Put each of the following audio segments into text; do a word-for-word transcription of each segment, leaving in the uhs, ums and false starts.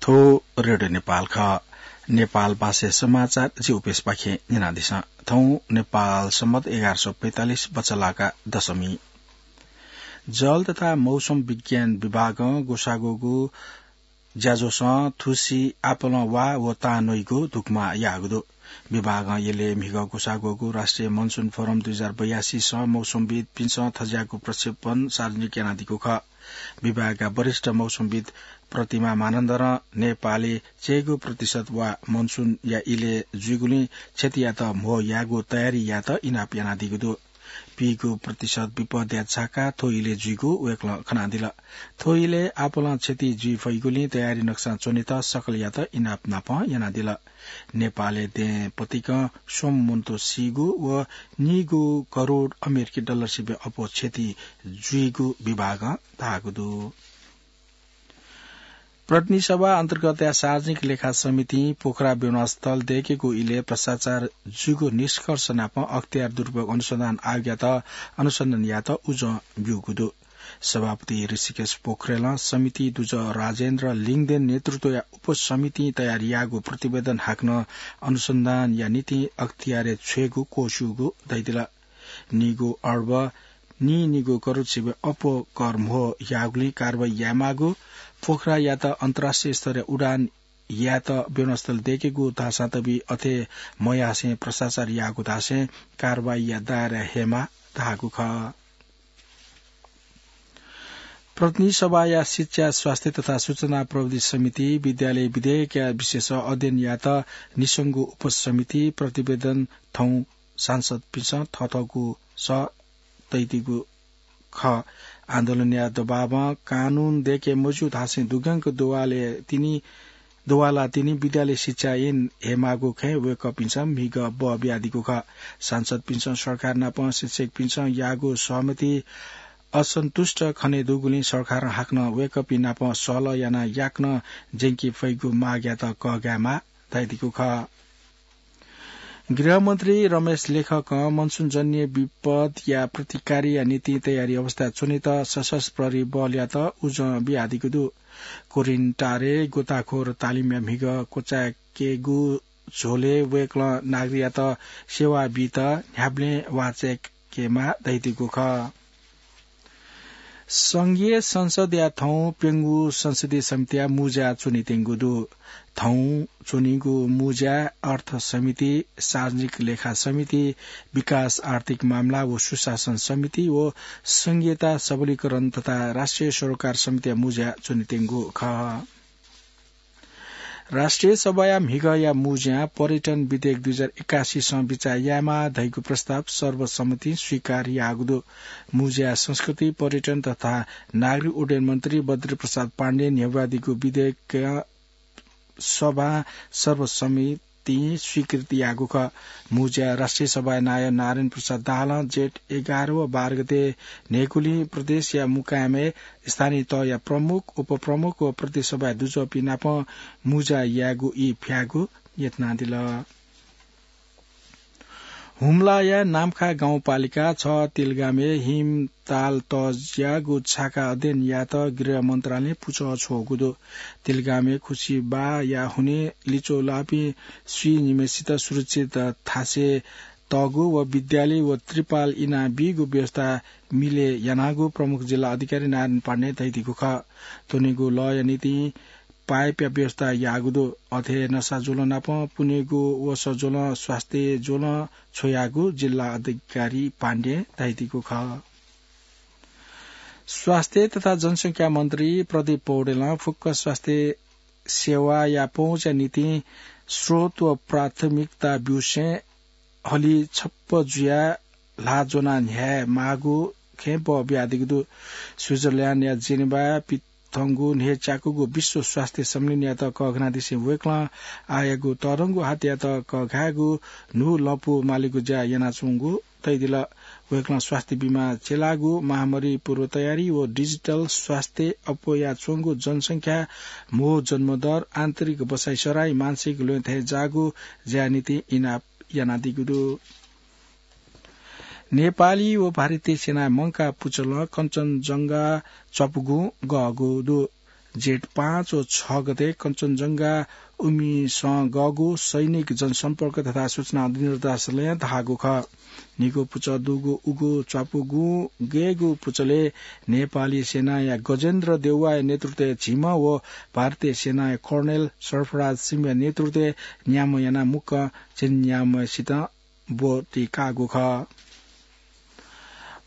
थ्व रेडियो नेपाल खः। नेपाल भाषा समाचार जि उपेशपाखें न्यनादिसँ। थौं नेपाल सम्बत एघार सय पैंतालिस बचलाका दशमी। जल तथा मौसम विज्ञान विभागं ग्वसाःगु ज्याझ्वलं थुसी आपालं वा व तां नइगु धुकुमा याःगु दु। विभागं यलय् म्हिगः ग्वसाःगु राष्ट्रिय मनसुन फोरम दुई हजार बयासीसं मौसमविद्पिन्सं थज्याःगु प्रक्षेपण सार्वजनिक यानादीगु खः। विभागया वरिष्ठ मौसमविद् प्रतिमा मानन्धरं नेपालय् चय्गू प्रतिशत वा मनसुनया इलय् जुइगुलिं क्षतियात म्हो यायेगु तयारी यायेत इनाप यानादीगु दु। पीगू प्रतिशत विपदया झाका थ्व इलय् जुइगु वय्कलं खनादिल। थ्व इलय् आपालं क्षति जुइ फइगुलिं तयारी नक्सां च्वनेत सकलयात इनाप नापं यानादिल। नेपालय् दँय् पतिकं स्वम्ह मनूत सीगु व नीगू करोड अमेरिकी डलर सिबें अप्वः क्षति जुइगु विभागं धाःगु दु। प्रतिनिधि सभा अन्तर्गतया सार्वजनिक लेखा समितिं पोखरा विमानस्थल दय्केगु इलय् भ्रष्टाचार जूगु निष्कर्ष नाप अख्तियार दुरुपयोग अनुसन्धान आयोगयात अनुसन्धान यायेत उजं ब्यूगु दु। सभापति ऋषिकेश पोखरेलं समिति दुजः राजेन्द्र लिङदेन नेतृत्वया उपसमितिं तयार याःगु प्रतिवेदन हाकनं अनुसन्धानया निंतिं अख्तियारय् छ्वयेगु क्वस्यूगु धयादिल। नीगू अर्ब नीनिगू करोड सिबें अप्वः कर म्हो याःगुलिं कारवाही यायेमाःगु, पोखरायात अन्तर्राष्ट्रिय स्तरया उडान यायेत विमानस्थल दय्केगु धाःसां तबि अथे मयासें भ्रष्टाचार याःगु धासें कारवाहीया दायरा हयेमाः धाःगु खः। प्रतिनिधि सभाया शिक्षा, स्वास्थ्य तथा सूचना प्रविधि समिति विद्यालय विधेयकया विषयस अध्ययन यायेत निसंगु उपसमिति प्रतिवेदन थौं सांसदपिन्सं थःथःगु सः तइदीगु खः। आन्दोलनया दबावं कानून दय्के मज्यू धासें दुग्यंक दुवालय् तिनि दुवाला तिनि विद्यालय शिक्षा ऐन हयेमाःगु खँय् वय्कःपिन्सं म्हिगः बः बियादीगु खः। सांसदपिन्सं सरकार नाप शिक्षकपिन्सं याःगु सहमति असन्तुष्ट खने दुगुलिं सरकारं हाकनं वय्कःपिं नाप सहलह यानाः याकनं ज्यंके फइगु मागयात कःघायेमाः धयादीगु खः। गृहमन्त्री रमेश लेखकं मनसुनजन्य विपदया प्रतिकारया निंतिं तयारी अवस्थाय् च्वनेत सशस्त्र प्रहरी बलयात उजं बियादीगु दु। कोरिन्टारय् गोताखोर तालिमया म्हिगः क्वचाय्केगु झ्वलय् वय्कलं नागरिकयात सेवा बीत न्ह्याबलें वाःचाय्केमाः धयादीगु खः। संघीय संसदया थौं प्यंगू संसदीय समितिया मुँज्या च्वनेत्यंगु दु। थौं च्वनीगु मुँज्याय् अर्थ समिति, सार्वजनिक लेखा समिति, विकास आर्थिक मामला व सुशासन समिति व संघीयता सबलीकरण तथा राष्ट्रिय सरोकार समितिया मुँज्या च्वनेत्यंगु खः। राष्ट्रिय सभाया म्हिगःया मुँज्यां पर्यटन विधेयक दुई हजार एकासीसं बिचाः यायेमाः धइगु प्रस्ताव सर्वसम्मतिं स्वीकार याःगु दु। मुँज्याय् संस्कृति, पर्यटन तथा नागरिक उड्डयन मन्त्री बद्री प्रसाद पाण्डें न्ह्यब्वादीगु विधेयक सभां सर्वसम्मतिं स्वीकृति याःगु खः। मुँज्याय् राष्ट्रिय सभाया नायः नारायण प्रसाद दाहालं जेठ एघार व बाह्र गते न्हय्कूलिं प्रदेशया मुकायमय् स्थानीय तहया प्रमुख, उपप्रमुख व प्रदेश सभाया दुजःपिं नाप मुँज्या यायेगु ई फ्यायेगु यत्नादिल। हुम्लाया नाम्खा गाउँपालिका छ तिलगामय् हिमताल तज्याःगु छाका अध्ययन यायेत गृह मन्त्रालयं पुचः छ्वःगु दु। तिलगामय् खुसिबाया हुनिं लिच्वः लाःपिं स्वीनिम्हय्सित सुरक्षित थासय् तःगु व विद्यालय व त्रिपाल इनाबीगु व्यवस्था मिले यानागु प्रमुख जिल्ला अधिकारी नारायण पाण्डें धयादीगु खः। त्वनेगु लःया निंतिं पाइपया व्यवस्था याःगु दु। अथे हे नसा ज्वलं नाप पुनेगु वसः ज्वलं, स्वास्थ्य ज्वलं छ्वयागु जिल्ला अधिकारी पाण्डें धयादीगु खः। स्वास्थ्य तथा जनसंख्या मन्त्री प्रदीप पौडेलं फुक्क स्वास्थ्य सेवाया पहुँचया निंतिं स्रोत व प्राथमिकता ब्यूसें हलिछप्प जुयाः ल्हाः ज्वनाः न्ह्याये माःगु खँय् बः बियादीगु दु। स्विजरल्याण्डया जेनेवाय् पिथंगु न्हय्च्याकूगु विश्व स्वास्थ्य सम्मेलनयात कःघानादिसें वय्कलं आःयागु तःधंगु हातयात कःघायेगु न्हू लँपु मालेगु ज्या यानाच्वंगु धयादिल। वय्कलं स्वास्थ्य बीमा चेलाःगु महामारी पूर्व तयारी व डिजिटल स्वास्थ्य, अप्वयाच्वंगु जनसंख्या, म्हो जन्मदर, आन्तरिक बसाइसराई, मानसिक ल्वय् थेंजाःगु ज्याया निंतिं इनाप यानादीगु दु। नेपाली व भारतीय सेनाया मंकाः पुचलं कञ्चनजंघा च्वापुगुं गःगु दु। जेठ पाँच व छ गते कञ्चनजंघा उमिसं गःगु सैनिक जनसम्पर्क तथा सूचना निर्देशालयं धाःगु खः। निगू पुचः दुगु उगु च्वापुगुं गय्गु पुचलय् नेपाली सेनाया गजेन्द्र देउवाया नेतृत्वय् झिम्ह व भारतीय सेनाया कर्णेल सरफराज सिंहया नेतृत्वय् न्याम्ह यानाः मुक्कं झिंन्याम्हसित ब्वति काःगु खः।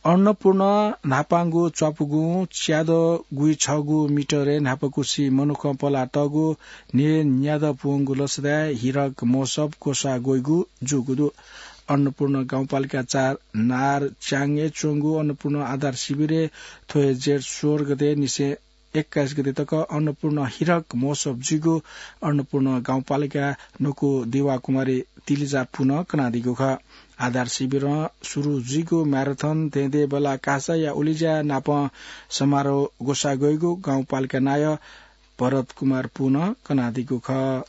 अन्नपूर्ण न्हापांगु च्वापुगुं च्यादँ गुइछगू मिटरय् न्हापाकुसि मनुखं पलातःगु न्हय्न्यादँ पुवंगु लसताय् हिरक महोत्सव ग्वसाः ग्वइगु जूगु दु। अन्नपूर्ण गाउँपालिका चार नारच्याङय् च्वंगु अन्नपूर्ण आधार शिविरय् थ्व हे जेठ सोह्र गते निसें एक्काइस गते तक अन्नपूर्ण हिरक महोत्सव जुइगु अन्नपूर्ण गाउँपालिका न्वकू देवाकुमारी तिलिजा पुनं कनादीगु खः। आधार शिविरं सुरु जुइगु म्याराथन धेंधेंबल्लाः कासाया उलिज्या नापं समारोह ग्वसाः ग्वइगु गाउँपालिका नायः भरत कुमार पुनं कनादीगु खः।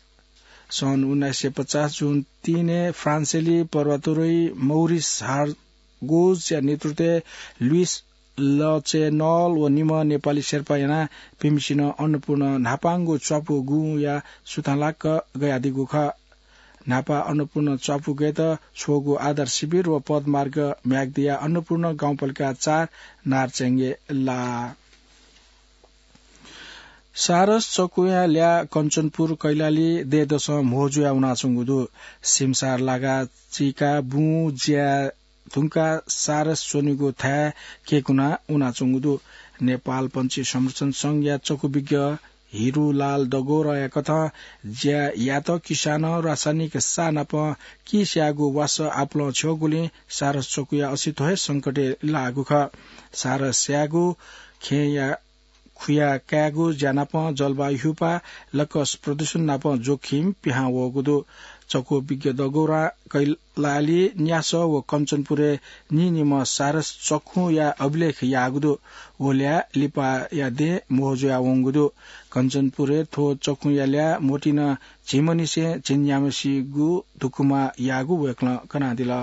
सन् उन्नाइस सय पचास जुन तीनय् फ्रान्सेली पर्वतारोही मौरिस हार्गोजया नेतृत्वय् लुइस लचेनल व निम्ह नेपाली शेर्पा यानाः पिम्हसिनं अन्नपूर्ण न्हापांगु च्वापुगुया सुथांलाक गयादीगु खः। न्हापा अन्नपूर्ण च्वापुगय्त छ्वःगु आधार शिविर व पदमार्ग म्याग्दिया अन्नपूर्ण गाउँपालिका चार नारच्याङय् लाः। सारस चकुया ल्याः कञ्चनपुर कैलाली दँय्दसं म्हो जुया वनाच्वंगु दु। सिमसार लागा चीका बुँ ज्या धुंकाः सारस च्वनीगु थाय् केकुना वनाच्वंगु दु। नेपाल पंक्षी संरक्षण संघया चकुविज्ञ हिरुलाल दगोराया कथं ज्या यात किसानं रासायनिक साः नाप किस्याःगु वासः आपुलं छ्यःगुलिं सारस चकुया अस्तित्व हे संकटय् लाःगु खः। सारस स्याःगु खेँया खुया कायेगु ज्या नाप जलवायु ह्युपा लकस प्रदूषण नाप जोखिम पिहां वःगु दु। चकुविज्ञ दगोरां कैलाली, न्यासः व कञ्चनपुरय् निनिम्ह सारस चखुया अभिलेख याःगु दु। व ल्याः लिपाया दँय् म्हो जुया वंगु दु। कञ्चनपुरय् थ्व चखुया ल्याः मोटिन झिम्हनिसें झिंन्याम्हसिगु धुकुमा याःगु वय्कलं कनादिल।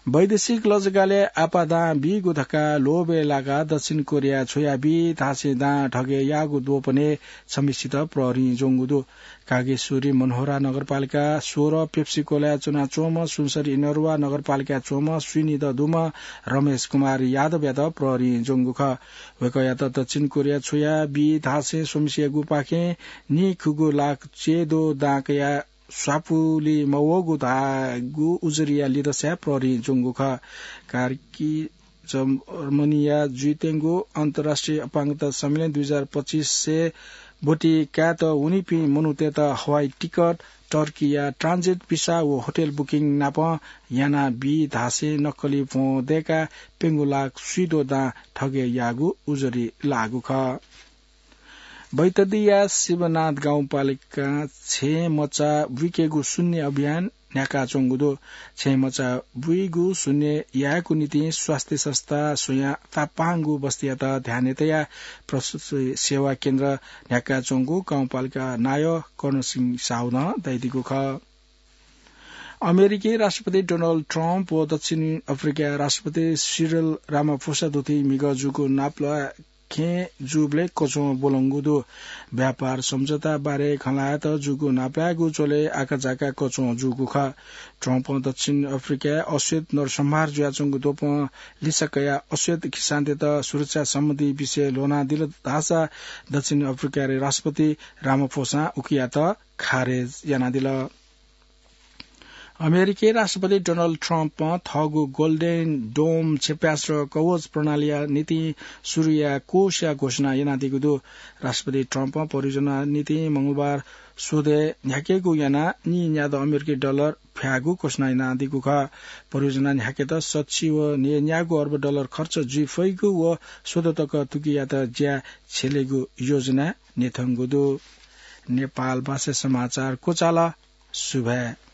वैदेशिक लजगालय् आपादां बीगु धकाः लोभय् लाकाः दक्षिण कोरिया छ्वया बी धासें दां ठगय् याःगु द्वपनय् छम्हसित प्रहरीं ज्वंगु दु। कागेश्वरी मनहोरा नगरपालिका सोह्र पेप्सीकोलाय् च्वनाच्वंम्ह सुनसरी इनरुवा नगरपालिकाय् च्वंम्ह स्वीनिदँ दुम्ह रमेश कुमार यादवयात प्रहरीं ज्वंगु खः। वय्कःयात दक्षिण कोरिया छ्वया बी धासें स्वम्हसियागुपाखें नीखुगू लाख च्यादँ दां कयाः स्वापुलि मवःगु धाःगु उजुरीया लिदँसाय् प्रहरीं ज्वंगु खः। कार्की जर्मनीया जुइत्यंगु अन्तर्राष्ट्रिय अपाङ्गता सम्मेलन दुई हजार पच्चिसय् ब्वति कायेत वनीपिं मनूतय्त हवाई टिकट, टर्कीया ट्रान्जिट भिसा व होटल बुकिङ नाप याना बी धासें नक्कली भ्वं दय्काः प्यंगू लाख स्वीद्वः दां ठगय् याःगु उजुरी लाःगु खः। बैतडीया शिवनाथ गाउँपालिकां छेँ मचा बुइकेगु शून्य अभियान न्ह्याकाच्वंगु दु। छेँ मचा बुइगु शून्य यायेगु निंतिं स्वास्थ्य संस्था स्वयां तापांगु बस्तीयात ध्यानय् तयाः प्रसूति सेवा केन्द्र न्ह्याकाच्वंगु गाउँपालिका नायः कर्णसिंह साहुनं धयादीगु खः। अमेरिकी राष्ट्रपति डोनाल्ड ट्रम्प व दक्षिण अफ्रिकाया राष्ट्रपति सिरिल रामाफोसा दुथी म्हिगः जूगु नापलाये खँय् जूबलय् कच्वं ब्वलंगु दु। व्यापार सम्झौता बारे खँ ल्हायेत जूगु नापलायेगु झ्वलय् आकाझाका कच्वं जूगु खः। ट्रम्पं दक्षिण अफ्रिकाय् अश्वेत नरसंहार जुयाच्वंगु द्वपं लिसा कयाः अश्वेत खिसानतय्त सुरक्षा सम्बन्धी विषय ल्ह्वनादिल धाःसा दक्षिण अफ्रिकाया राष्ट्रपति रामाफोसां उकियात खारेज यानादिल। अमेरिकी राष्ट्रपति डोनाल्ड ट्रम्पं थःगु गोल्डेन डोम क्षेप्यास्त्र कवच प्रणालीया निंतिं सुरुया कोषया घोषणा यानादीगु दु। राष्ट्रपति ट्रम्पं परियोजनाया निंतिं मंगलबार स्वदँय् न्ह्याकेगु यानाः नीन्यादँ अमेरिकी डलर फ्यायेगु घोषणा यानादीगु खः। परियोजना न्ह्याकेत सच्छि व नीन्यागू अर्ब डलर खर्च जुइ फइगु व स्वदँ तक थुकियात ज्या छ्यलेगु योजना न्ह्यथंगु दु। नेपाल भाषा समाचार क्वचाल। सुभाय्।